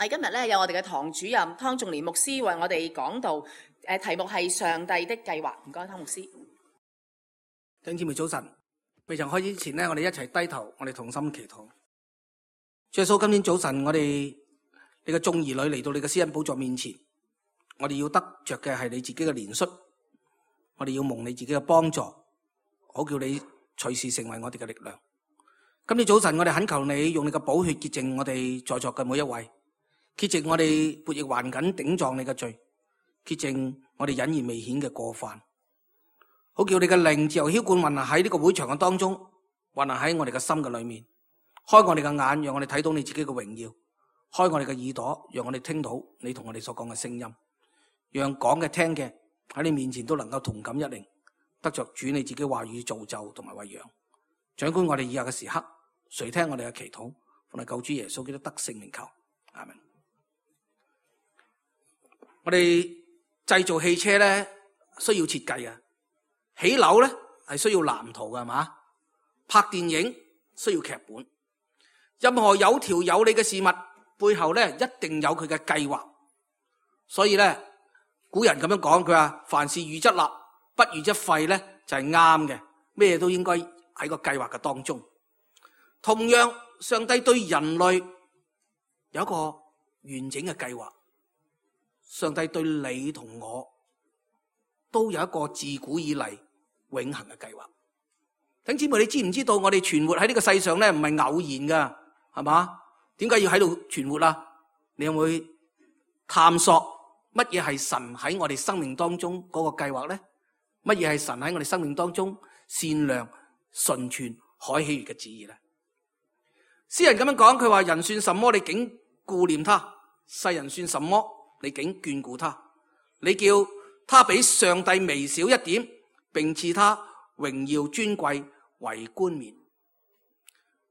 我哋今日咧有我哋嘅堂主任湯仲年牧師為我哋講道，題目係上帝的計劃。唔該，湯牧師。弟兄姊妹早晨，未曾開始之前呢，我哋一齊低頭，我哋同心祈禱。主耶穌，今天早晨我哋你嘅眾兒女嚟到你嘅施恩寶座面前，我哋要得着嘅係你自己嘅憐恤，我哋要蒙你自己嘅幫助，好叫你隨時成為我哋嘅力量。今天早晨我哋懇求你用你嘅寶血潔淨我哋在座嘅每一位，潔淨我哋悖逆頑梗頂撞你嘅罪，潔淨我哋隱而未顯嘅過犯，好叫你嘅靈自由澆灌運行喺呢個會場嘅當中，運行喺我哋嘅心嘅裏面，開我哋嘅眼，讓我哋睇到你自己嘅榮耀，開我哋嘅耳朵，讓我哋聽到你同我哋所講嘅聲音，讓講嘅聽嘅喺你面前都能夠同感一靈，得着主你自己話語造就同埋餵養。掌管我哋以下嘅時刻，垂聽我哋嘅祈禱，奉救主耶穌基督得聖名求，阿們。我哋製造汽車咧需要設計嘅，起樓咧係需要藍圖嘅，係嘛？拍電影需要劇本，任何有條有理嘅事物背後咧一定有佢嘅計劃。所以咧古人咁樣講，佢話凡事預則立，不預則廢咧就係啱嘅，咩都應該喺個計劃嘅當中。同樣，上帝對人類有一個完整嘅計劃。上帝對你同我都有一個自古以嚟永恆嘅計劃。弟兄姊妹，你知唔知道我哋存活喺呢個世上咧唔係偶然噶，係嘛？點解要喺度存活啊？你有冇去探索乜嘢係神喺我哋生命當中嗰個計劃咧？乜嘢係神喺我哋生命當中善良、純全、可喜悅嘅旨意咧？詩人咁樣講，佢話人算什麼，你竟顧念他；世人算什麼，你竟眷顧他。你叫他比上帝微小一點，並賜他榮耀尊貴為冠冕。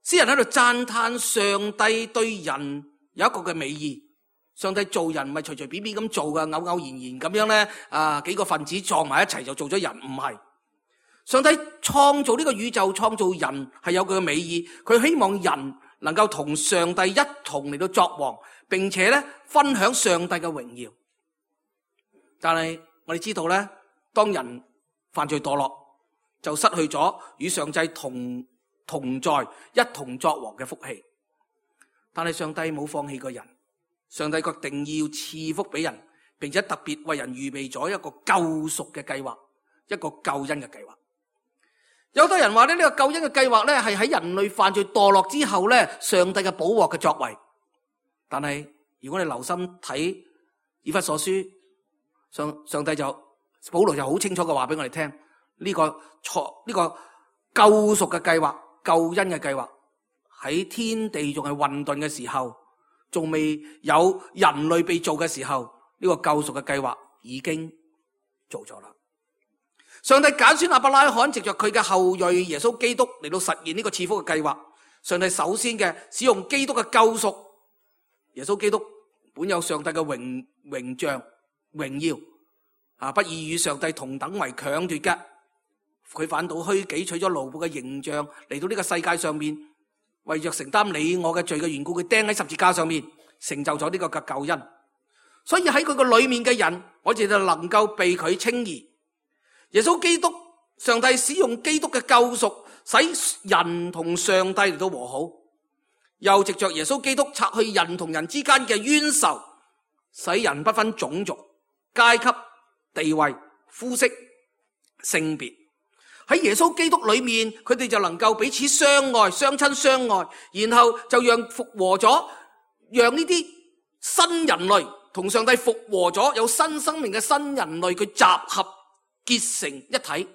詩人喺度讚嘆上帝對人有一個嘅美意。上帝做人唔係隨隨便便咁做嘅，偶然咁樣咧，幾個分子撞埋一齊就做咗人，唔係。上帝創造呢個宇宙，創造人係有佢嘅美意，佢希望人能夠同上帝一同嚟到作王，並且咧分享上帝嘅榮耀。但係我哋知道咧，當人犯罪墮落，就失去咗與上帝同在一同作王嘅福氣。但係上帝冇放棄過人，上帝決定要賜福俾人，並且特別為人預備咗一個救贖嘅計劃，一個救恩嘅計劃。有好多人話咧，呢個救恩嘅計劃咧係喺人類犯罪墮落之後咧，上帝嘅補獲嘅作為。但係如果你留心睇以弗所書，上帝保羅就好清楚嘅話俾我哋聽，呢個救贖嘅計劃、救恩嘅計劃喺天地仲係混沌嘅時候，仲未有人類被造嘅時候，呢個救贖嘅計劃已經做咗啦。上帝揀選亞伯拉罕，藉着佢嘅後裔耶穌基督嚟到實現呢個賜福嘅計劃。上帝首先嘅使用基督嘅救贖，耶穌基督本有上帝嘅榮像榮耀，不以與上帝同等為強奪嘅，佢反倒虛己，取咗奴僕嘅形象嚟到呢個世界上面，為着承擔你我嘅罪嘅緣故，佢釘喺十字架上面，成就咗呢個嘅救恩。所以喺佢個裏面嘅人，我哋就能夠被佢稱義。耶穌基督，上帝使用基督嘅救贖，使人同上帝嚟到和好，又藉着耶穌基督拆去人同人之間嘅冤仇，使人不分種族、階級、地位、膚色、性別。喺耶穌基督裏面，佢哋就能夠彼此相愛、相親相愛，然後就讓復和咗，讓呢啲新人類同上帝復和咗，有新生命嘅新人類，佢集合結成一體，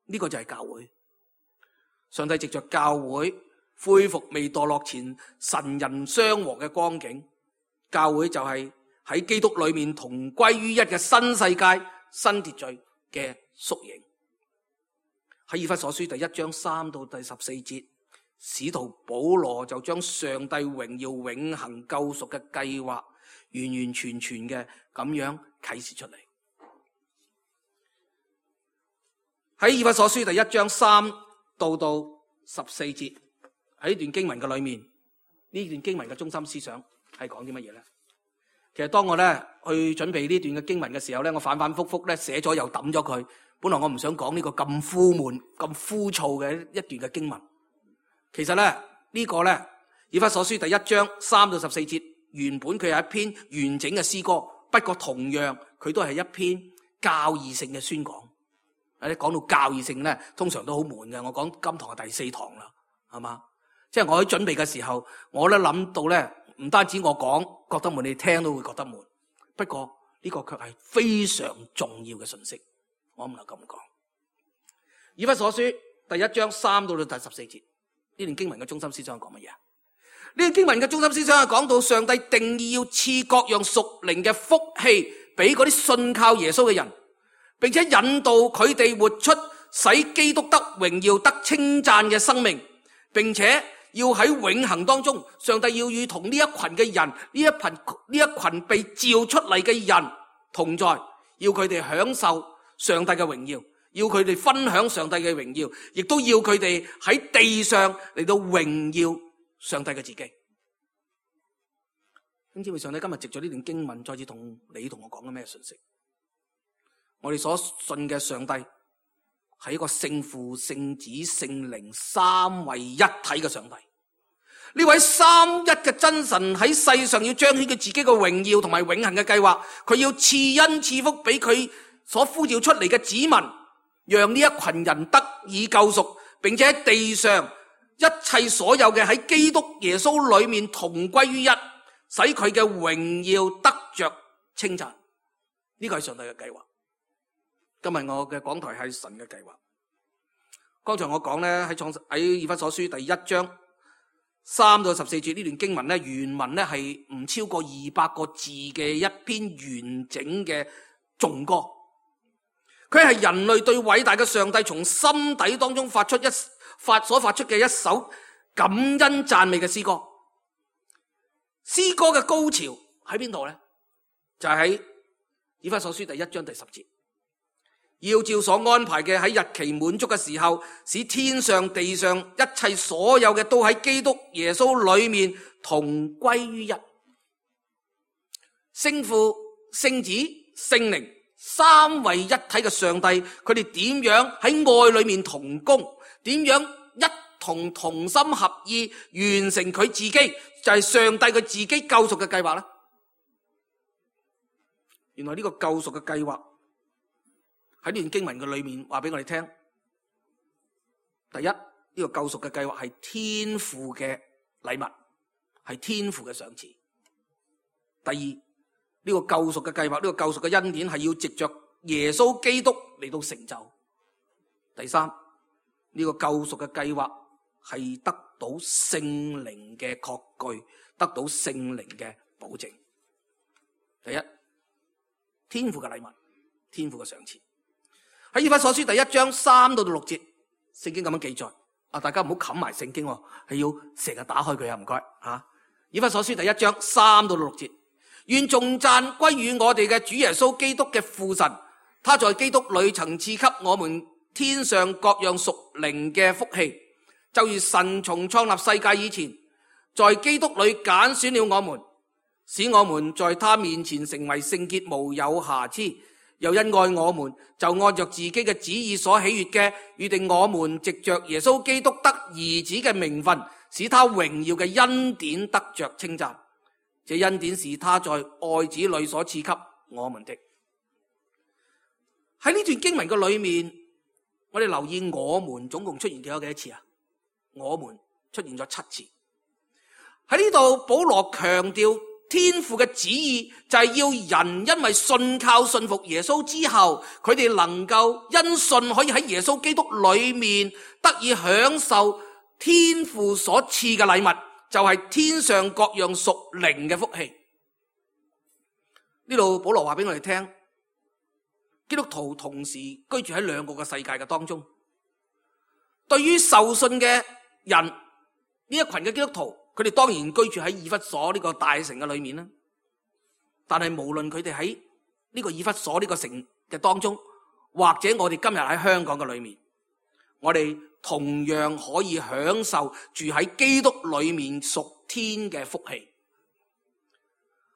呢個就係教會。上帝藉着教會恢復未墮落前神人相和嘅光景，教會就係喺基督裏面同歸於一嘅新世界、新秩序嘅縮影。喺以弗所書第1章3到第14節，使徒保羅就將上帝榮耀永恆救贖嘅計劃完完全全嘅咁樣啟示出嚟。喺以弗所書第1章3到14節，喺呢段經文嘅裏面，呢段經文嘅中心思想係講啲乜嘢咧？其實當我咧去準備呢段嘅經文嘅時候咧，我反反复复咧寫咗又抌咗佢。本來我唔想講呢個咁枯悶、咁枯燥嘅一段嘅經文。其實咧呢個咧以弗所書第1章3到14節，原本佢係一篇完整嘅詩歌，不過同樣佢都係一篇教義性嘅宣講。講到教義性咧，通常都好悶嘅。我講今堂係第4堂啦，係嘛？即係我喺準備嘅時候，我咧諗到咧，唔單止我講覺得悶，你聽都會覺得悶。不過呢個卻係非常重要嘅信息，我唔能咁講。以弗所書第1章3到第14節，呢段經文嘅中心思想係講乜嘢？呢段經文嘅中心思想係講到上帝定義要賜各樣屬靈嘅福氣俾嗰啲信靠耶穌嘅人，並且引導佢哋活出使基督得榮耀得稱讚嘅生命，並且要喺永恆當中，上帝要與同呢一群嘅人，呢一群被召出嚟嘅人同在，要佢哋享受上帝嘅榮耀，要佢哋分享上帝嘅榮耀，亦都要佢哋喺地上嚟到榮耀上帝嘅自己。因此，上帝今日藉咗呢段經文，再次同你同我講緊咩信息？我哋所信嘅上帝係一個聖父、聖子、聖靈三位一體嘅上帝。呢位三一嘅真神喺世上要彰顯佢自己嘅榮耀同埋永恆嘅計劃，佢要賜恩賜福俾佢所呼召出嚟嘅子民，讓呢一群人得以救贖，並且喺地上一切所有嘅喺基督耶穌裏面同歸於一，使佢嘅榮耀得着稱讚。呢個係上帝嘅計劃。今日我嘅講台係神嘅計劃。剛才我講咧喺以弗所書第1章3到14節呢段經文咧，原文咧係唔超過200個字嘅一篇完整嘅頌歌。佢係人類對偉大嘅上帝從心底當中所發出嘅一首感恩讚美嘅詩歌。詩歌嘅高潮喺邊度咧？就係喺以弗所書第1章第10節。要照所安排嘅，喺日期滿足嘅時候，使天上地上一切所有嘅都喺基督耶穌裏面同歸於一。聖父、聖子、聖靈三位一體嘅上帝，佢哋點樣喺愛裏面同工，點樣一同心合意完成佢自己，就係上帝佢自己救贖嘅計劃呢？原來呢個救贖嘅計劃喺呢段經文嘅裏面話俾我哋聽，第一，呢個救贖嘅計劃係天父嘅禮物，係天父嘅賞賜。第二，呢個救贖嘅計劃，呢個救贖嘅恩典係要藉着耶穌基督嚟到成就。第三，呢個救贖嘅計劃係得到聖靈嘅確據，得到聖靈嘅保證。第一，天父嘅禮物，天父嘅賞賜。喺以弗所書第1章3到6節，聖經咁樣記載。大家唔好冚埋聖經，係要成日打開佢啊！唔該吓。以弗所書第1章3到6節，願頌讚歸於我哋嘅主耶穌基督嘅父神，他在基督裏曾賜給我們天上各樣屬靈嘅福氣，就如神從創立世界以前，在基督裏揀選了我們，使我們在他面前成為聖潔無有瑕疵。又因愛我們，就按着自己嘅旨意所喜悅嘅，預定我們藉着耶穌基督得兒子嘅名分，使他榮耀嘅恩典得着稱讚。這恩典是他在愛子裏所賜給我們的。喺呢段經文嘅裏面，我哋留意我們總共出現幾多次啊？我們出現咗7次。喺呢度保羅強調，天父嘅旨意就係要人因為信靠信服耶穌之後，佢哋能夠因信可以喺耶穌基督裏面得以享受天父所賜嘅禮物，就係天上各樣屬靈嘅福氣。呢度保羅話俾我哋聽，基督徒同時居住喺兩個嘅世界嘅當中。對於受信嘅人，呢一群嘅基督徒，佢哋當然居住喺以弗所呢個大城嘅裏面啦，但係無論佢哋喺呢個以弗所呢個城嘅當中，或者我哋今日喺香港嘅裏面，我哋同樣可以享受住喺基督裏面屬天嘅福氣。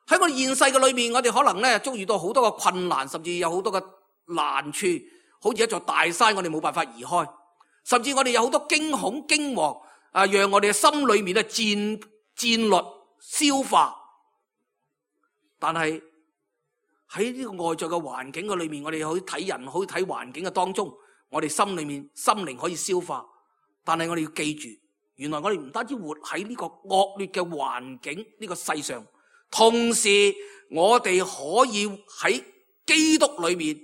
喺我哋現世嘅裏面，我哋可能咧遭遇到好多嘅困難，甚至有好多嘅難處，好似一座大山，我哋冇辦法移開，甚至我哋有好多驚恐驚惶啊，讓我哋嘅心裏面咧戰慄消化。但係喺呢個外在嘅環境嘅裏面，我哋可以睇人，可以睇環境嘅當中，我哋心裏面心靈可以消化。但係我哋要記住，原來我哋唔單止活喺呢個惡劣嘅環境呢個世上，同時我哋可以喺基督裏面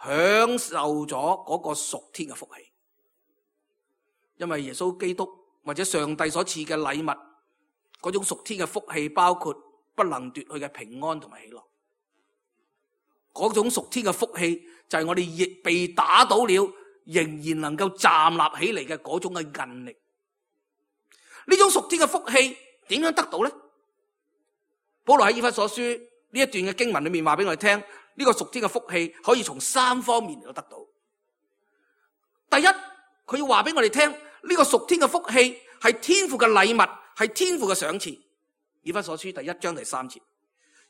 享受咗嗰個屬天嘅福氣。因為耶穌基督或者上帝所賜嘅禮物，嗰種屬天嘅福氣，包括不能奪去嘅平安同埋喜樂。嗰種屬天嘅福氣就係我哋亦被打倒了，仍然能夠站立起嚟嘅嗰種嘅韌力。呢種屬天嘅福氣點樣得到呢？保羅喺以弗所書呢一段嘅經文裏面話俾我哋聽，呢個屬天嘅福氣可以從3方面嚟到得到。第一，佢要話俾我哋聽，呢個屬天嘅福氣係天父嘅禮物，係天父嘅賞賜。以弗所書第1章第3節，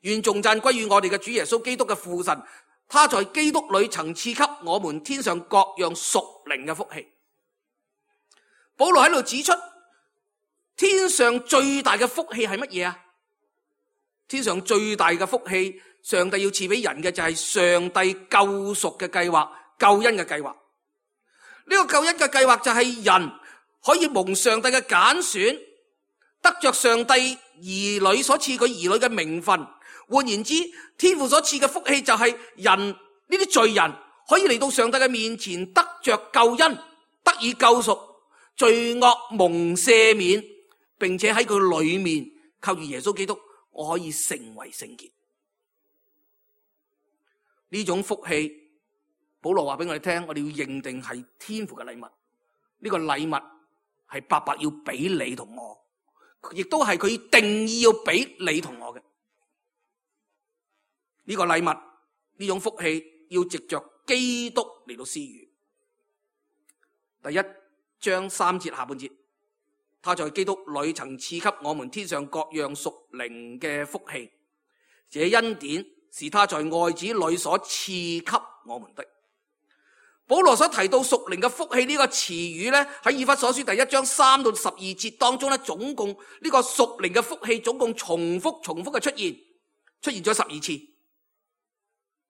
願頌讚歸於我哋嘅主耶穌基督嘅父神，他在基督裏曾賜給我們天上各樣屬靈嘅福氣。保羅喺度指出，天上最大嘅福氣係乜嘢啊？天上最大嘅福氣，上帝要賜俾人嘅就係上帝救贖嘅計劃，救恩嘅計劃。呢個救恩嘅計劃就係人可以蒙上帝嘅揀選，得着上帝兒女所賜佢兒女嘅名分。換言之，天父所賜嘅福氣就係人呢啲罪人可以嚟到上帝嘅面前，得着救恩，得以救贖，罪惡蒙赦免，並且喺佢裏面靠住耶穌基督，我可以成為聖潔。呢種福氣，保羅話俾我哋聽，我哋要認定係天父嘅禮物。呢個禮物係白白要俾你同我，亦都係佢定義要俾你同我嘅。呢個禮物，呢種福氣要藉着基督嚟到施予。第1章3節下半節，他在基督裏曾賜給我們天上各樣屬靈嘅福氣，這恩典是他在愛子裏所賜給我們的。保羅所提到屬靈嘅福氣呢個詞語咧，喺以弗所書第1章3到12節當中咧，總共呢個屬靈嘅福氣總共重複嘅出現咗12次。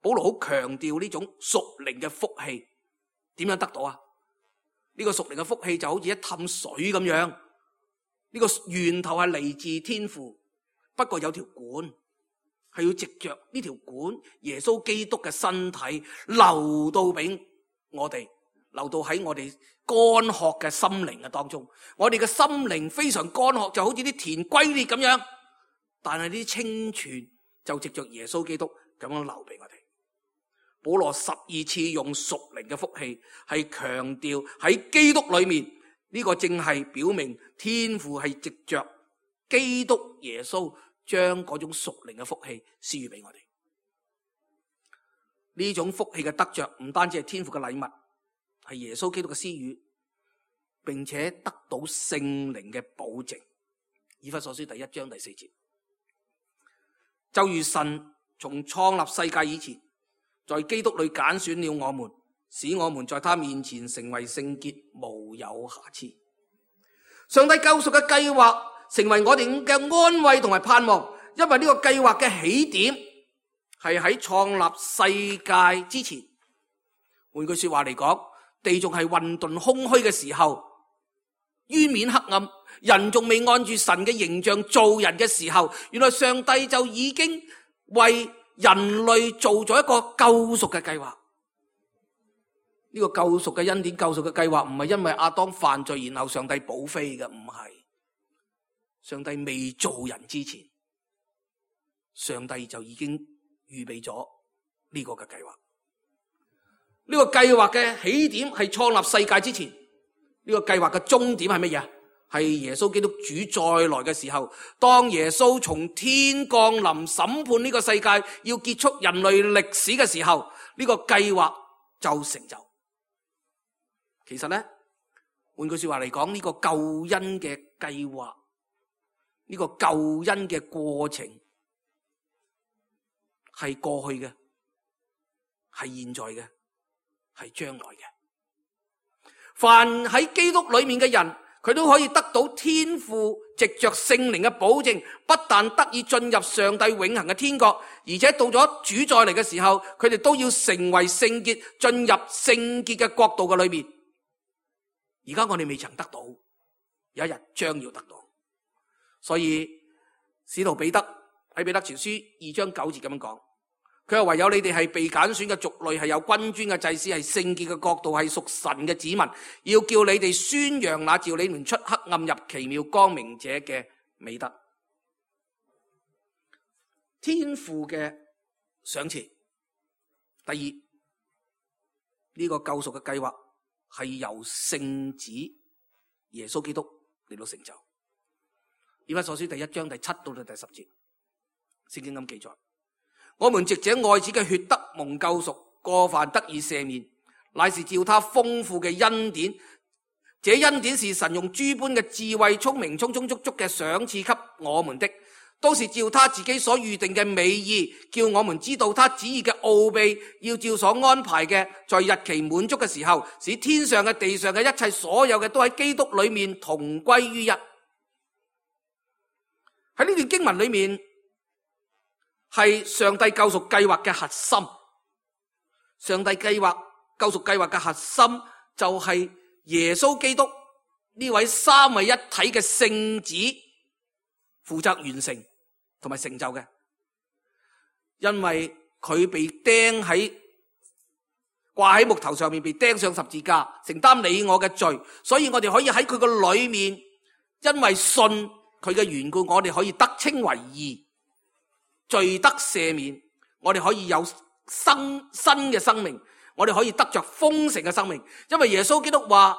保羅好強調呢種屬靈嘅福氣點樣得到啊？呢個屬靈嘅福氣就好似一氹水咁樣，呢個源頭係嚟自天父，不過有條管係要藉着呢條管，耶穌基督嘅身體流到俾我哋，流到喺我哋乾渴嘅心靈嘅當中。我哋嘅心靈非常乾渴，就好似啲田龜裂咁樣，但係呢啲清泉就藉着耶穌基督咁樣流俾我哋。保羅12次用屬靈嘅福氣，係強調喺基督裏面，呢個正係表明天父係藉着基督耶穌將嗰種屬靈嘅福氣施予俾我哋。呢種福氣嘅得着唔單止係天父嘅禮物，係耶穌基督嘅施予，並且得到聖靈嘅保證。以弗所書第1章第4節，就如神從創立世界以前，在基督裏揀選了我們，使我們在他面前成為聖潔，無有瑕疵。上帝救贖嘅計劃成為我哋嘅安慰同埋盼望，因為呢個計劃嘅起點係喺創立世界之前。換句說話嚟講，地仲係混沌空虛嘅時候，淵面黑暗，人仲未按住神嘅形象做人嘅時候，原來上帝就已經為人類做咗一個救贖嘅計劃。呢個救贖嘅恩典、救贖嘅計劃唔係因為亞當犯罪然後上帝補飛嘅，唔係。上帝未做人之前，上帝就已經預備咗呢個嘅計劃。呢個計劃嘅起點係創立世界之前，呢個計劃嘅終點係乜嘢？係耶穌基督主再來嘅時候，當耶穌從天降臨審判呢個世界，要結束人類歷史嘅時候，呢個計劃就成就。其實咧，換句說話嚟講，呢個救恩嘅計劃，呢個救恩嘅過程，係過去嘅，係現在嘅，係將來嘅。凡喺基督裏面嘅人，佢都可以得到天父藉着聖靈嘅保證，不但得以進入上帝永恆嘅天國，而且到咗主再嚟嘅時候，佢哋都要成為聖潔，進入聖潔嘅國度嘅裏面。而家我哋未曾得到，有一日將要得到。所以使徒彼得喺彼得前書2章9節咁樣講，佢話唯有你哋係被揀選嘅族類，係有君尊嘅祭司，係聖潔嘅國度，係屬神嘅子民，要叫你哋宣揚那召你們出黑暗入奇妙光明者嘅美德。天父嘅賞賜。第二，呢個救贖嘅計劃係由聖子耶穌基督嚟到成就。以弗所書第1章第7到第10節，聖經咁記載：我們藉這愛子嘅血得蒙救贖，過犯得以赦免，乃是照他豐富嘅恩典。這恩典是神用諸般嘅智慧、聰明、充充足足嘅賞賜給我們的，都是照他自己所預定嘅美意，叫我們知道他旨意嘅奧秘，要照所安排嘅，在日期滿足嘅時候，使天上嘅、地上嘅一切所有嘅都喺基督裏面同歸於一。喺呢段經文裏面，係上帝救贖計劃嘅核心。上帝計劃救贖計劃嘅核心就係耶穌基督呢位三位一體嘅聖子負責完成同埋成就嘅。因為佢被掛喺木頭上面，被釘上十字架，承擔你我嘅罪，所以我哋可以喺佢嘅裏面，因為信佢嘅緣故，我哋可以得稱為義，罪得赦免，我哋可以有新嘅生命，我哋可以得着豐盛嘅生命。因為耶穌基督話，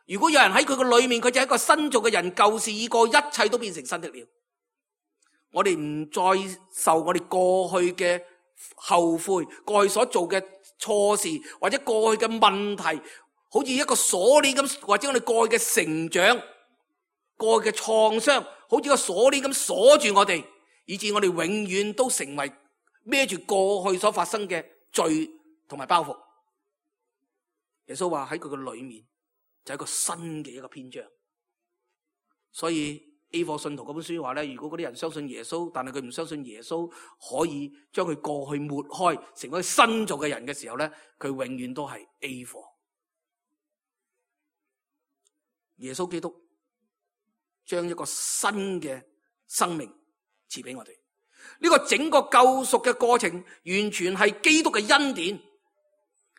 如果有人喺佢嘅裏面，佢就係一個新造嘅人，舊事已過，一切都變成新的了。我哋唔再受我哋過去嘅後悔，過去所做嘅錯事，或者過去嘅問題，好似一個鎖鏈咁，或者我哋過去嘅成長、過去嘅創傷，好似個鎖鏈咁鎖住我哋，以致我哋永遠都成為孭住過去所發生嘅罪同埋包袱。耶穌話喺佢嘅裏面就係一個新嘅一個篇章。所以 A 課信徒嗰本書話咧，如果嗰啲人相信耶穌，但係佢唔相信耶穌可以將佢過去抹開，成為新造嘅人嘅時候咧，佢永遠都係 A 課。耶穌基督將一個新嘅生命賜俾我哋。呢個整個救贖嘅過程完全係基督嘅恩典，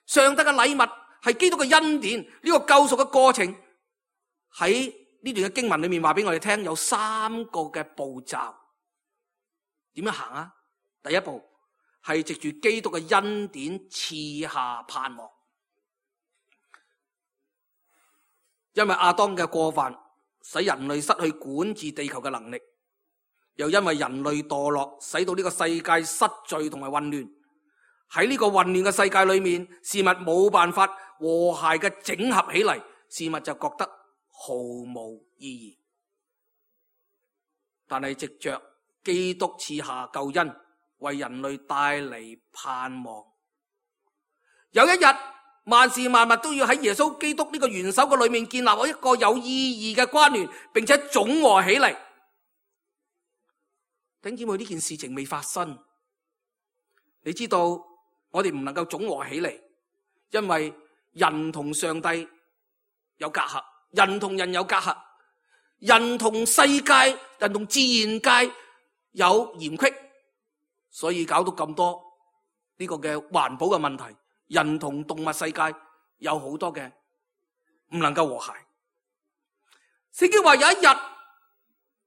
上帝嘅禮物係基督嘅恩典。呢個救贖嘅過程喺呢段嘅經文裏面話俾我哋聽，有3個嘅步驟。點樣行啊？第一步係藉住基督嘅恩典賜下盼望，因為亞當嘅過犯使人類失去管治地球嘅能力，又因為人類墮落，使到呢個世界失序同埋混亂。喺呢個混亂嘅世界裏面，事物冇辦法和諧嘅整合起嚟，事物就覺得毫無意義。但係藉着基督賜下救恩，為人類帶嚟盼望。有一日，萬事萬物都要喺耶穌基督呢個元首嘅裏面建立一個有意義嘅關聯，並且總和起嚟。弟兄姊妹，呢件事情未發生，你知道我哋唔能夠總和起嚟，因為人同上帝有隔閡，人同人有隔閡，人同世界、人同自然界有嫌隙，所以搞到咁多呢個嘅環保嘅問題。人同動物世界有好多嘅唔能夠和諧。聖經話有一日，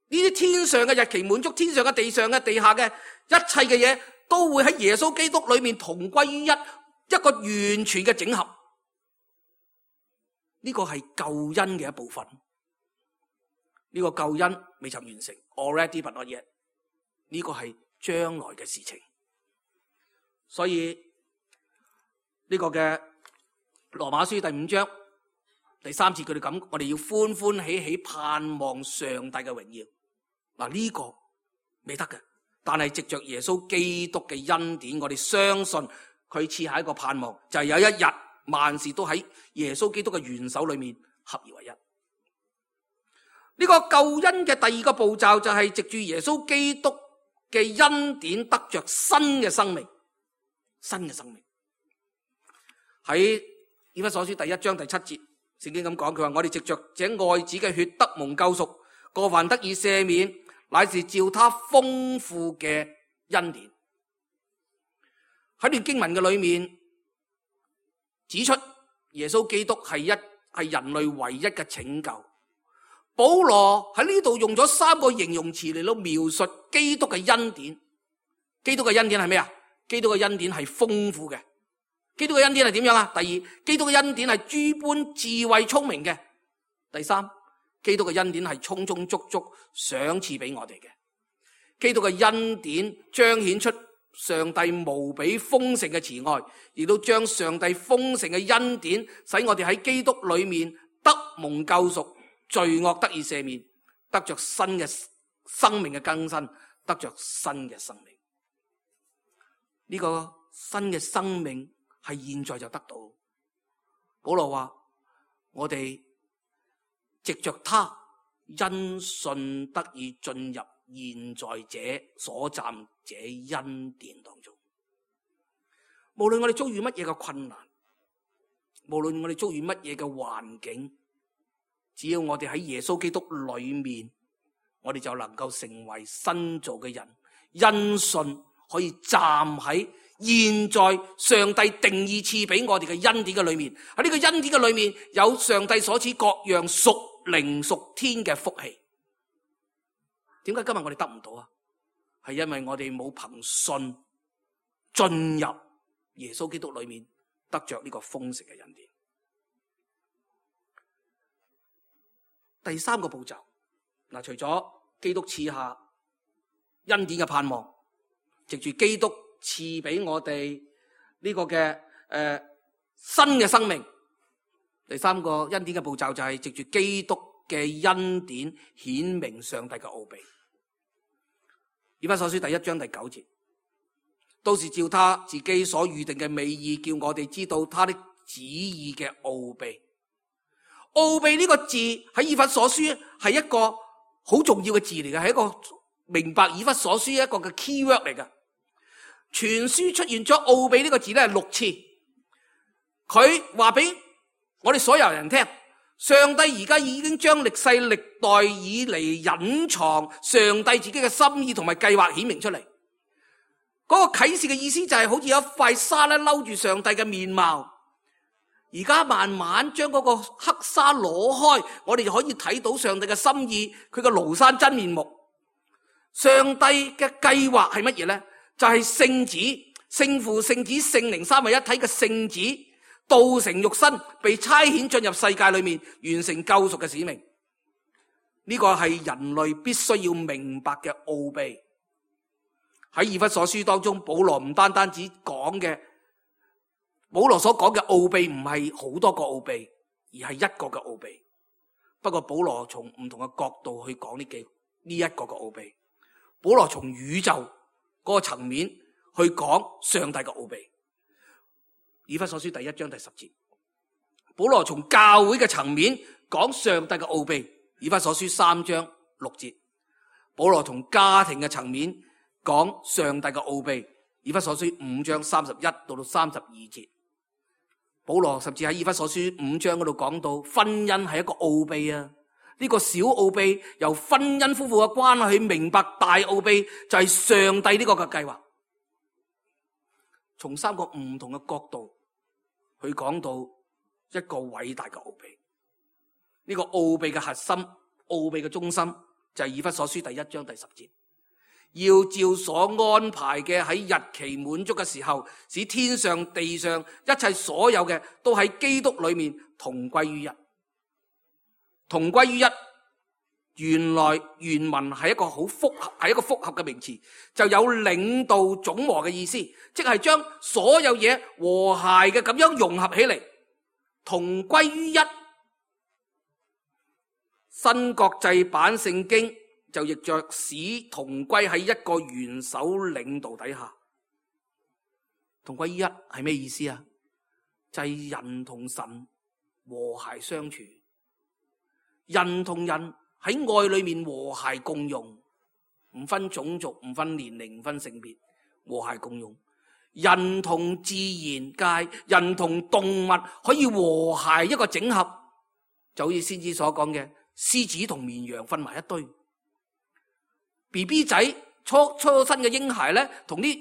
呢啲天上嘅日期滿足，天上嘅、地上嘅、地下嘅一切嘅嘢，都會喺耶穌基督裏面同歸於一個完全嘅整合。呢個係救恩嘅一部分。呢個救恩未曾完成 ，already but not yet。呢個係將來嘅事情。所以呢個嘅羅馬書第5章第3節，佢哋咁，我哋要歡歡喜喜盼望上帝嘅榮耀。嗱，呢個未得嘅，但係藉着耶穌基督嘅恩典，我哋相信佢賜下一個盼望，就係有一日萬事都喺耶穌基督嘅元首裏面合而為一。呢個救恩嘅第二個步驟就係藉住耶穌基督嘅恩典得着新嘅生命，新嘅生命。喺以弗所書第1章第7節，聖經咁講，佢話我哋藉着這愛子嘅血得蒙救贖，過犯得以赦免，乃是照他豐富嘅恩典。喺段經文嘅裏面指出，耶穌基督係人類唯一嘅拯救。保羅喺呢度用咗3個形容詞嚟到描述基督嘅恩典。基督嘅恩典係咩啊？基督嘅恩典係豐富嘅。基督嘅恩典係點樣啊？第二，基督嘅恩典係諸般智慧聰明嘅。第三，基督嘅恩典係充充足足賞賜俾我哋嘅。基督嘅恩典彰顯出上帝無比豐盛嘅慈愛，亦都將上帝豐盛嘅恩典使我哋喺基督裏面得蒙救贖，罪惡得以赦免，得着新嘅生命嘅更新，得着新嘅生命。呢個新嘅生命係現在就得到。保羅話我哋藉着他因信得以進入現在這所暫這恩典當中。無論我哋遭遇乜嘢嘅困難，無論我哋遭遇乜嘢嘅環境，只要我哋喺耶穌基督裏面，我哋就能夠成為新造嘅人，因信可以站喺現在上帝定義賜俾我哋嘅恩典嘅裏面。喺呢個恩典嘅裏面，有上帝所賜各樣屬靈屬天嘅福氣。點解今日我哋得唔到啊？係因為我哋冇憑信進入耶穌基督裏面，得着呢個豐盛嘅恩典。第3個步驟，除咗基督賜下恩典嘅盼望，藉住基督賜俾我哋呢個嘅新嘅生命。第3個恩典嘅步驟就係藉住基督嘅恩典顯明上帝嘅奧秘。以弗所書第1章第9節，都是照他自己所預定嘅美意，叫我哋知道他的旨意嘅奧秘。奧秘呢個字喺以弗所書係一個好重要嘅字嚟嘅，係一個明白以弗所書一個嘅 key word 嚟嘅。全書出現咗奧秘呢個字咧係6次。佢話俾我哋所有人聽，上帝而家已經將歷世歷代以嚟隱藏上帝自己嘅心意同埋計劃顯明出嚟。嗰個啟示嘅意思就係好似有一塊紗咧摟住上帝嘅面貌。而家慢慢將嗰個黑紗攞開，我哋就可以睇到上帝嘅心意，佢嘅廬山真面目。上帝嘅計劃係乜嘢呢？就係聖子、聖父、聖子、聖靈三位一體嘅聖子道成肉身，被差遣進入世界裏面，完成救贖嘅使命。呢個係人類必須要明白嘅奧秘。喺以弗所書當中，保羅唔單單只講嘅，保羅所講嘅奧秘唔係好多個奧秘，而係一個嘅奧秘。不過保羅從唔同嘅角度去講呢一個嘅奧秘。保羅從宇宙嗰個層面去講上帝嘅奧秘。以弗所書第1章第10節，保羅從教會嘅層面講上帝嘅奧秘。以弗所書3章6節，保羅從家庭嘅層面講上帝嘅奧秘。以弗所書5章31到32節，保羅甚至喺以弗所書5章嗰度講到婚姻係一個奧秘啊！呢個小奧秘由婚姻夫婦嘅關係去明白大奧秘，就係上帝呢個嘅計劃。從3個唔同嘅角度去講到一個偉大嘅奧秘。呢個奧秘嘅核心、奧秘嘅中心就係以弗所書第1章第10節。要照所安排嘅喺日期滿足嘅時候，使天上地上一切所有嘅都喺基督裏面同歸於一。同歸於一，原來原文係一個好複合，係一個複合嘅名詞，就有領導總和嘅意思，即係將所有嘢和諧嘅咁樣融合起嚟，同歸於一。新國際版聖經就亦着使同歸喺一個元首領導底下。同歸於一係咩意思啊？就係人同神和諧相處，人同人喺愛裏面和諧共用，唔分種族，唔分年齡，唔分性別，和諧共用。人同自然界，人同動物可以和諧一個整合，就好似先知所講嘅，獅子同綿羊瞓埋一堆。BB 仔初生嘅嬰孩咧，同啲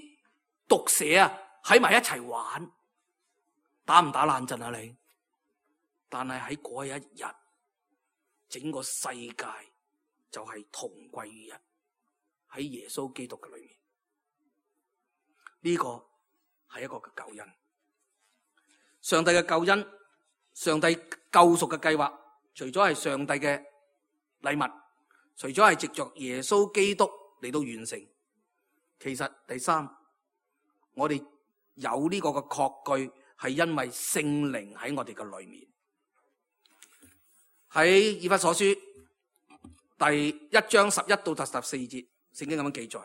毒蛇啊喺埋一齊玩，打唔打冷震啊你？但係喺嗰一日，整個世界就係同歸於一，喺耶穌基督嘅裏面。呢個係一個嘅救恩，上帝嘅救恩，上帝救贖嘅計劃，除咗係上帝嘅禮物，除咗係藉着耶穌基督嚟到完成，其實第三，我哋有呢個嘅確據，係因為聖靈喺我哋嘅裏面。喺以弗所書第1章11到14節，聖經咁樣記載：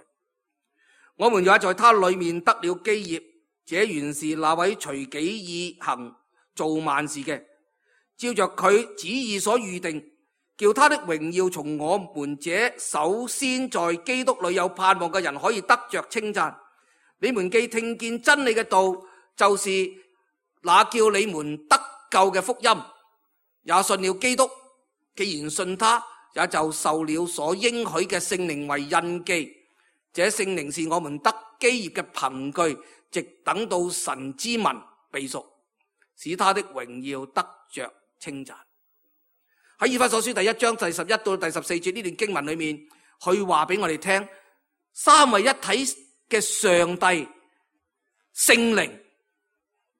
我們也在他裏面得了基業，這原是那位隨己意行造萬事嘅，照着佢旨意所預定，叫他的榮耀從我們這首先在基督裏有盼望嘅人可以得着稱讚。你們既聽見真理嘅道，就是那叫你們得救嘅福音，也信了基督。既然信他，也就受了所應許嘅聖靈為印記。這聖靈是我們得基業嘅憑據，直等到神之民被贖，使他的榮耀得着稱讚。喺以弗所書第1章第11到第14節呢段經文裏面，佢話俾我哋聽，三位一體嘅上帝聖靈，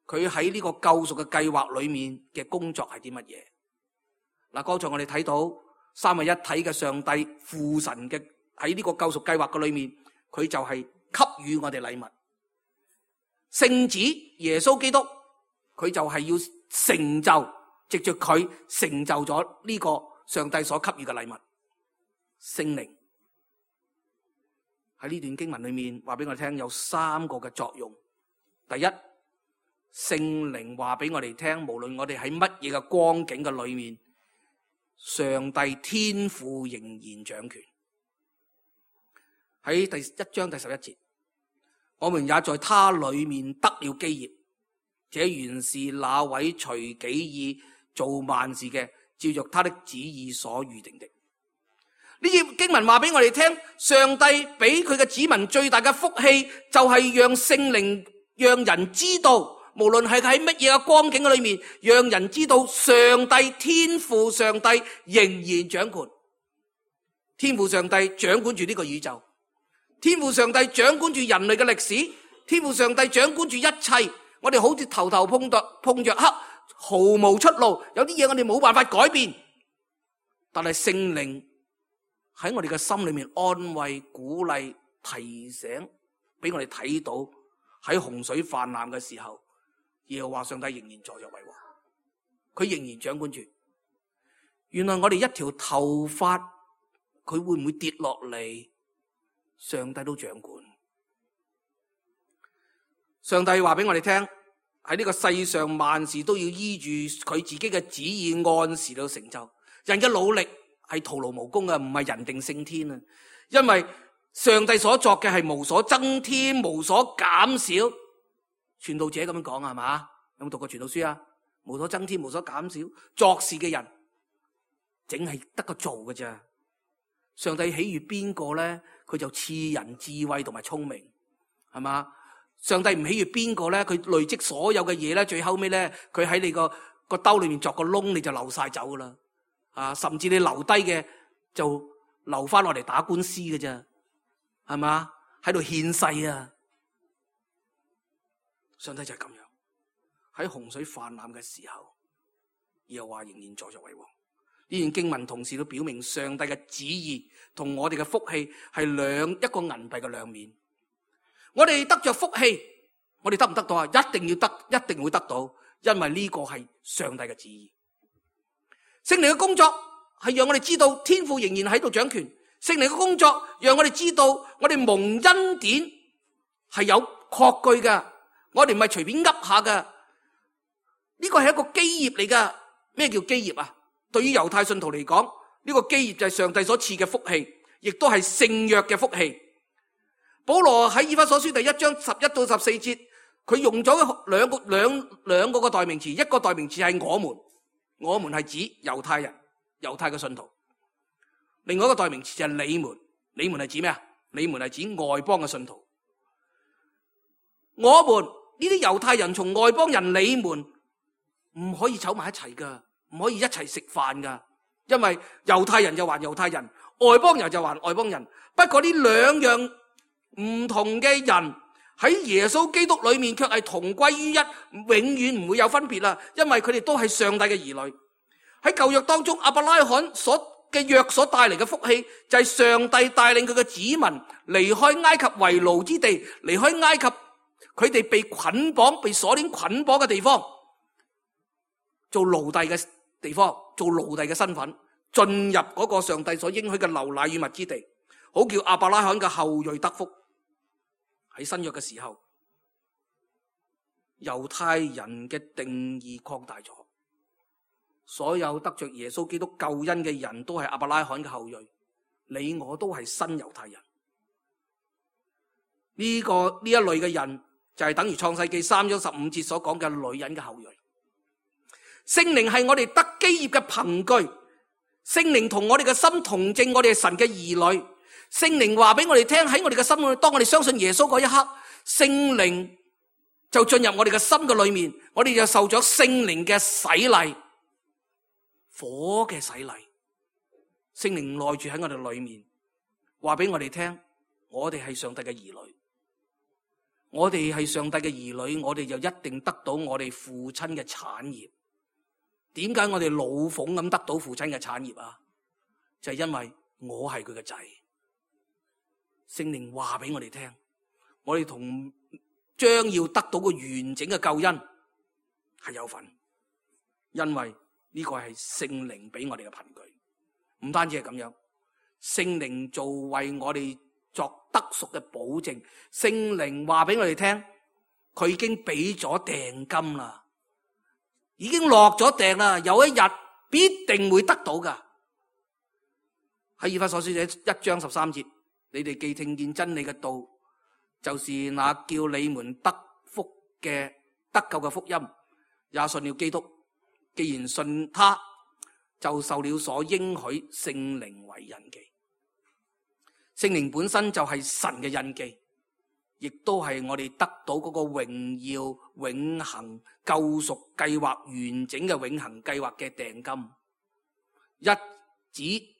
佢喺呢個救贖嘅計劃裏面嘅工作係啲乜嘢？嗱，剛才我哋睇到三位一體嘅上帝父神嘅喺呢個救贖計劃嘅裏面，佢就係給予我哋禮物。聖子耶穌基督，佢就係要成就，藉着佢成就咗呢個上帝所給予嘅禮物。聖靈喺呢段經文裏面話俾我哋聽，有三個嘅作用。第一，聖靈話俾我哋聽，無論我哋喺乜嘢嘅光景嘅裏面，上帝天父仍然掌權。喺第1章第11節，我們也在他裏面得了基業，這原是那位隨己意造萬事嘅，照着他的旨意所預定的。呢節經文話俾我哋聽，上帝俾佢嘅子民最大嘅福氣，就係讓聖靈讓人知道，無論係喺乜嘢嘅光景裏面，讓人知道上帝天父上帝仍然掌管。天父上帝掌管住呢個宇宙，天父上帝掌管住人類嘅歷史，天父上帝掌管住一切。我哋好似頭頭碰着黑，毫無出路，有啲嘢我哋冇辦法改變，但係聖靈喺我哋嘅心裏面安慰、鼓勵、提醒，俾我哋睇到喺洪水泛濫嘅時候，耶和華上帝仍然坐著為王，佢仍然掌管住。原來我哋一條頭髮，佢會唔會跌落嚟？上帝都掌管。上帝話俾我哋聽，喺呢個世上萬事都要依住佢自己嘅旨意按時到成就。人嘅努力係徒勞無功嘅，唔係人定勝天啊！因為上帝所作嘅係無所增添，無所減少。傳道者咁樣講係嘛？有冇讀過傳道書啊？無所增添，無所減少。作事嘅人淨係得個做嘅咋。上帝喜悅邊個咧？佢就賜人智慧同埋聰明，係嘛？上帝唔喜悅邊個咧？佢累積所有嘅嘢咧，最後尾咧，佢喺你個兜裏面鑿個窿，你就流晒走噶啦。啊，甚至你留低嘅就留翻落嚟打官司嘅啫，係嘛？喺度獻世啊！上帝就係咁樣，喺洪水泛濫嘅時候，耶和華仍然坐著為王。呢段經文同時都表明上帝嘅旨意同我哋嘅福氣係一個銀幣嘅兩面。我哋得着福氣，我哋得唔得到啊？一定要得，一定會得到，因為呢個係上帝嘅旨意。聖靈嘅工作係讓我哋知道天父仍然喺度掌權，聖靈嘅工作讓我哋知道我哋蒙恩典係有確據嘅，我哋唔係隨便噏下嘅。呢個係一個基業嚟噶。咩叫基業啊？對於猶太信徒嚟講，呢個基業就係上帝所賜嘅福氣，亦都係聖約嘅福氣。保羅喺以弗所書第1章11到14節，佢用咗兩個代名詞，一個代名詞係我們係指猶太人、猶太嘅信徒；另外一個代名詞就係你們係指咩啊？你們係指外邦嘅信徒。我們呢啲猶太人從外邦人，你們唔可以湊埋一齊噶，唔可以一齊食飯噶，因為猶太人就還猶太人，外邦人就還外邦人。不過呢兩樣唔同嘅人喺耶穌基督裏面卻係同歸於一，永遠唔會有分別啦，因為佢哋都係上帝嘅兒女。喺舊約當中，亞伯拉罕嘅約所帶嚟嘅福氣，就係上帝帶領佢嘅子民離開埃及為奴之地，離開埃及佢哋被捆綁、被鎖鏈捆綁嘅地方，做奴隸嘅地方，做奴隸嘅身份，進入嗰個上帝所應許嘅流奶與蜜之地，好叫亞伯拉罕嘅後裔得福。喺新約嘅時候，猶太人嘅定義擴大咗，所有得着耶穌基督救恩嘅人都係亞伯拉罕嘅後裔，你我都係新猶太人。呢一類嘅人就係等於創世記3章15節所講嘅女人嘅後裔。聖靈係我哋得基業嘅憑據，聖靈同我哋嘅心同證，我哋係神嘅兒女。聖靈話俾我哋聽，喺我哋嘅心裏，當我哋相信耶穌嗰一刻，聖靈就進入我哋嘅心嘅裏面，我哋就受咗聖靈嘅洗禮，火嘅洗禮。聖靈內住喺我哋裏面，話俾我哋聽，我哋係上帝嘅兒女。我哋係上帝嘅兒女，我哋就一定得到我哋父親嘅產業。點解我哋老鳳咁得到父親嘅產業啊？就係因為我係佢嘅仔。聖靈話俾我哋聽，我哋同將要得到個完整嘅救恩係有份，因為呢個係聖靈俾我哋嘅憑據。唔單止係咁樣，聖靈做為我哋作得贖嘅保證。聖靈話俾我哋聽，佢已經俾咗訂金啦，已經落咗訂啦，有一日必定會得到噶。喺以弗所書1章13節，你哋既聽見真理嘅道，就是那叫你們得救嘅福音，也信了基督。既然信他，就受了所應許聖靈為印記。聖靈本身就係神嘅印記，亦都係我哋得到嗰個榮耀永恆救贖計劃完整嘅永恆計劃嘅訂金。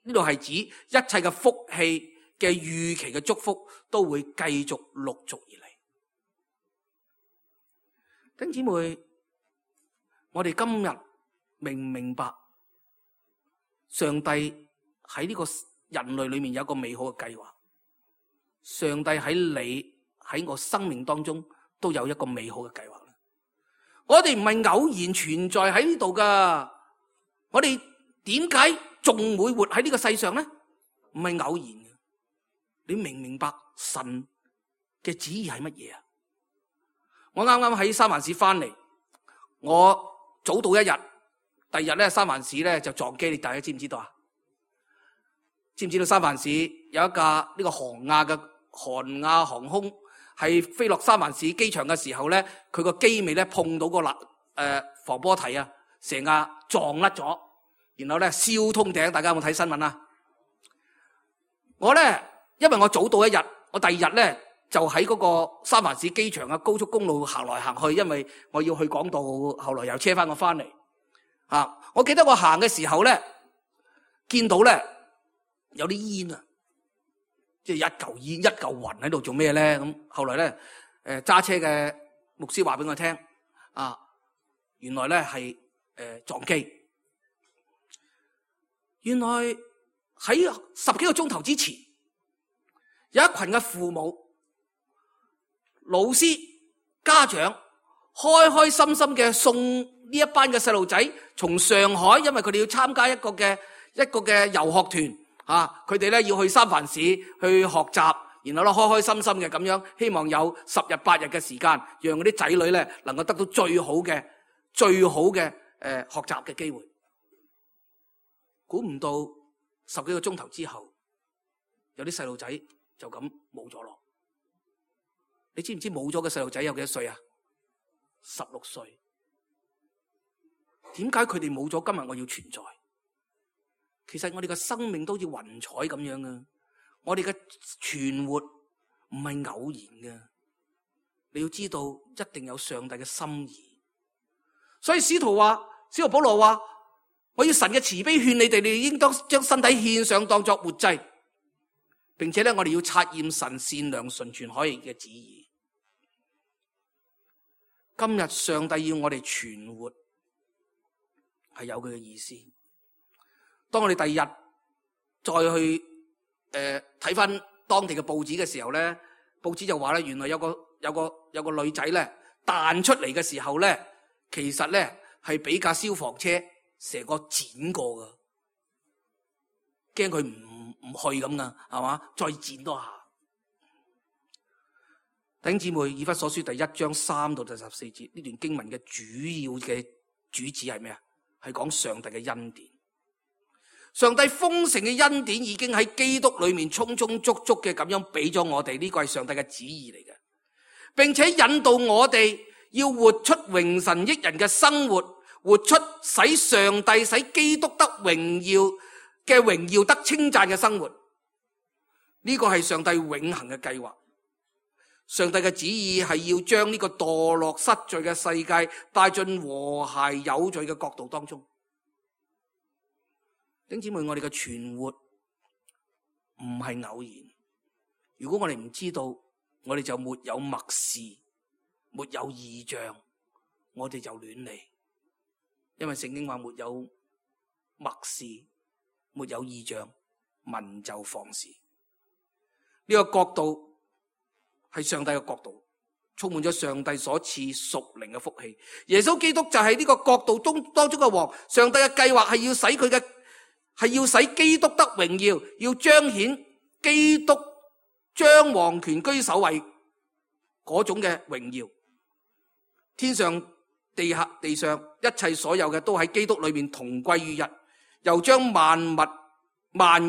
呢度係指一切嘅福氣嘅預期嘅祝福都會繼續陸續而嚟。弟兄姊妹，我哋今日明唔明白上帝喺呢個人類裏面有一個美好嘅計劃？上帝喺我生命當中都有一個美好嘅計劃。我哋唔係偶然存在喺呢度噶，我哋點解仲會活喺呢個世上呢？唔係偶然嘅。你明唔明白神嘅旨意係乜嘢啊？我啱啱喺三藩市翻嚟，我早到一日，第二日咧三藩市咧就撞機，你大家知唔知道啊？知唔知道三藩市有一架呢個韓亞航空係飛落三藩市機場嘅時候咧，佢個機尾咧碰到個防波堤啊，成架撞甩咗，然後咧燒通頂。大家有冇睇新聞啊？我咧因為我早到一日，我第二日咧就喺嗰個三藩市機場嘅高速公路行來行去，因為我要去港島，後來又車翻我翻嚟。我記得我行嘅時候咧，見到咧有啲煙啊，即係一嚿煙一嚿雲喺度做咩咧？咁後來咧揸車嘅牧師話俾我聽，原來咧係撞機。原來喺10幾個鐘頭之前，有一群嘅父母、老師、家長開開心心嘅送呢一班嘅細路仔從上海，因為佢哋要參加一個嘅遊學團，佢哋咧要去三藩市去學習，然後咧開開心心嘅咁樣，希望有10日8日嘅時間，讓嗰啲仔女咧能夠得到最好嘅學習嘅機會。估唔到10幾個鐘頭之後，有啲細路仔就咁冇咗咯。你知唔知冇咗嘅細路仔有幾多歲啊？16歲。點解佢哋冇咗？今日我要存在。其實我哋嘅生命都好似雲彩咁樣啊！我哋嘅存活唔係偶然嘅，你要知道一定有上帝嘅心意。所以使徒保羅話：我要神嘅慈悲勸你哋，你應當將身體獻上當作活祭，並且咧我哋要察驗神善良純全可以嘅旨意。今日上帝要我哋存活，係有佢嘅意思。當我哋第二日再去睇翻當地嘅報紙嘅時候咧，報紙就話咧，原來有個女仔咧彈出嚟嘅時候咧，其實咧係俾架消防車成個剪過噶，驚佢唔去咁噶，係嘛？再剪多下。弟兄姊妹，以弗所書第1章3到第14節呢段經文嘅主要嘅主旨係咩啊？係講上帝嘅恩典。上帝豐盛嘅恩典已經喺基督裏面充充足足嘅咁樣俾咗我哋，呢個係上帝嘅旨意嚟嘅，並且引導我哋要活出榮神益人嘅生活，活出使上帝使基督得榮耀得稱讚嘅生活。呢個係上帝永恆嘅計劃。上帝嘅旨意係要將呢個墮落失序嘅世界帶進和諧有序嘅國度當中。弟兄姊妹，我哋嘅存活唔係偶然。如果我哋唔知道，我哋就沒有默示，沒有異象，我哋就亂嚟。因為聖經話沒有默示，沒有異象，民就放肆。呢個國度係上帝嘅國度，充滿咗上帝所賜屬靈嘅福氣。耶穌基督就係呢個國度當中嘅王。上帝嘅計劃係要使基督得榮耀，要彰顯基督將王權居首位嗰種嘅榮耀。天上地下地上一切所有嘅都喺基督裏面同歸於一，又將萬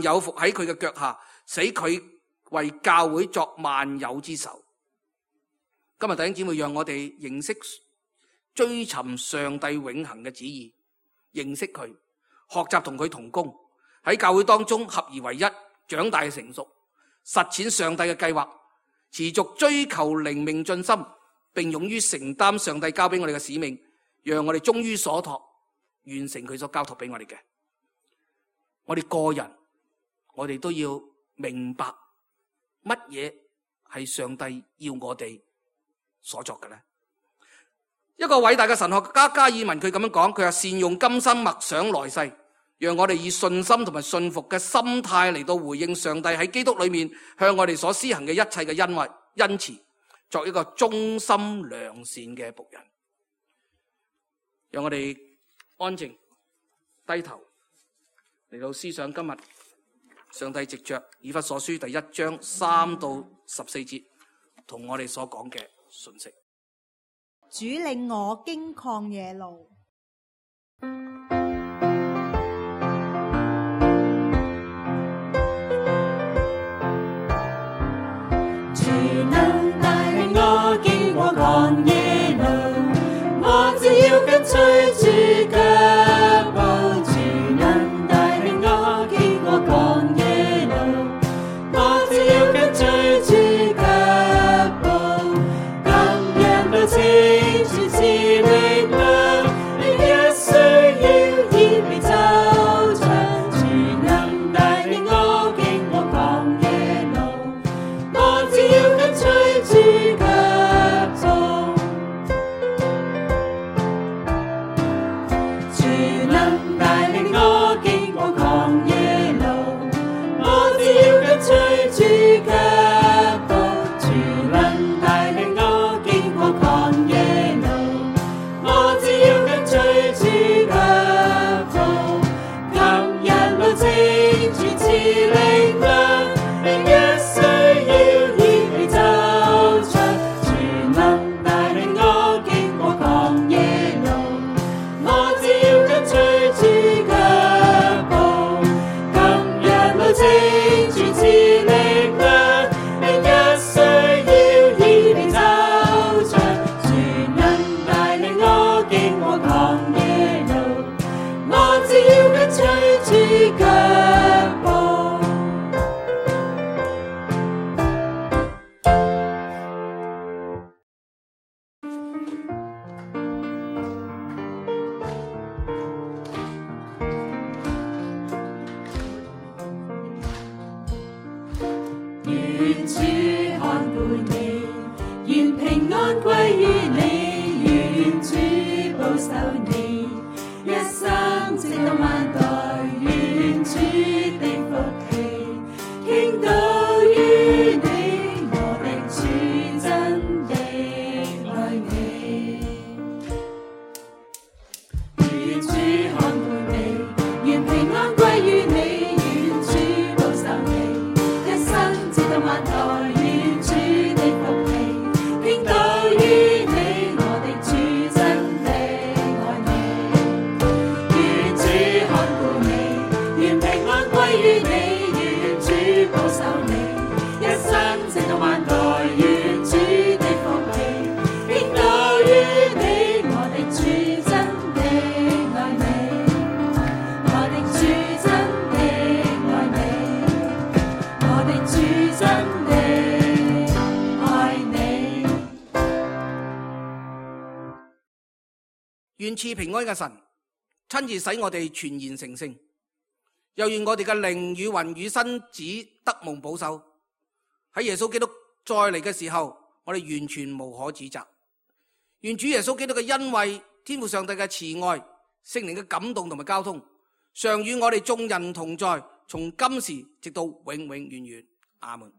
有伏喺佢嘅腳下，使佢為教會作萬有之首。今日弟兄姊妹，讓我哋認識追尋上帝永恆嘅旨意，認識佢，學習同佢同工，喺教會當中合而為一，長大成熟，實踐上帝嘅計劃，持續追求靈命進心，並勇於承擔上帝交俾我哋嘅使命，讓我哋忠於所託，完成佢所交託俾我哋嘅。我哋個人，我哋都要明白乜嘢係上帝要我哋所作嘅呢？一個偉大嘅神學家加爾文佢咁樣講，佢話善用今生默想來世，讓我哋以信心同埋信服嘅心態嚟到回應上帝喺基督裏面向我哋所施行嘅一切嘅恩慈，作一個忠心良善嘅僕人。讓我哋安靜低頭嚟到思想今日上帝藉着以弗所書第1章3到14節同我哋所講嘅信息。主領我經曠野路。主能帶領我經過曠野路，我只要跟隨主腳步。主能帶領我經過曠野路，我只要跟隨主腳步。今日到清晨是力量，每日需要依你走長。主能帶領我經過曠野路，我只要跟隨主腳步。安歸於你，願主保守你，一生直到萬代，願主的福氣傾倒於你，我的主真的愛你。願主看顧你，願平安歸於你，願主保守你，一生直到萬代，願主的福氣傾倒於你，我的主真的愛你。願主看顧你，願平安歸於你，願主保守你，一生直到萬代，願主的福氣傾倒於你，我的主真的愛你，我的主真的愛你，我的主真的愛你。願賜平安嘅神親自使我哋全然成聖，又願我哋嘅靈與魂與身子得蒙保守。喺耶穌基督再嚟嘅時候，我哋完全無可指責。願主耶穌基督嘅恩惠、天父上帝嘅慈愛、聖靈嘅感動同埋交通，常與我哋眾人同在，從今時直到永永遠遠。阿門。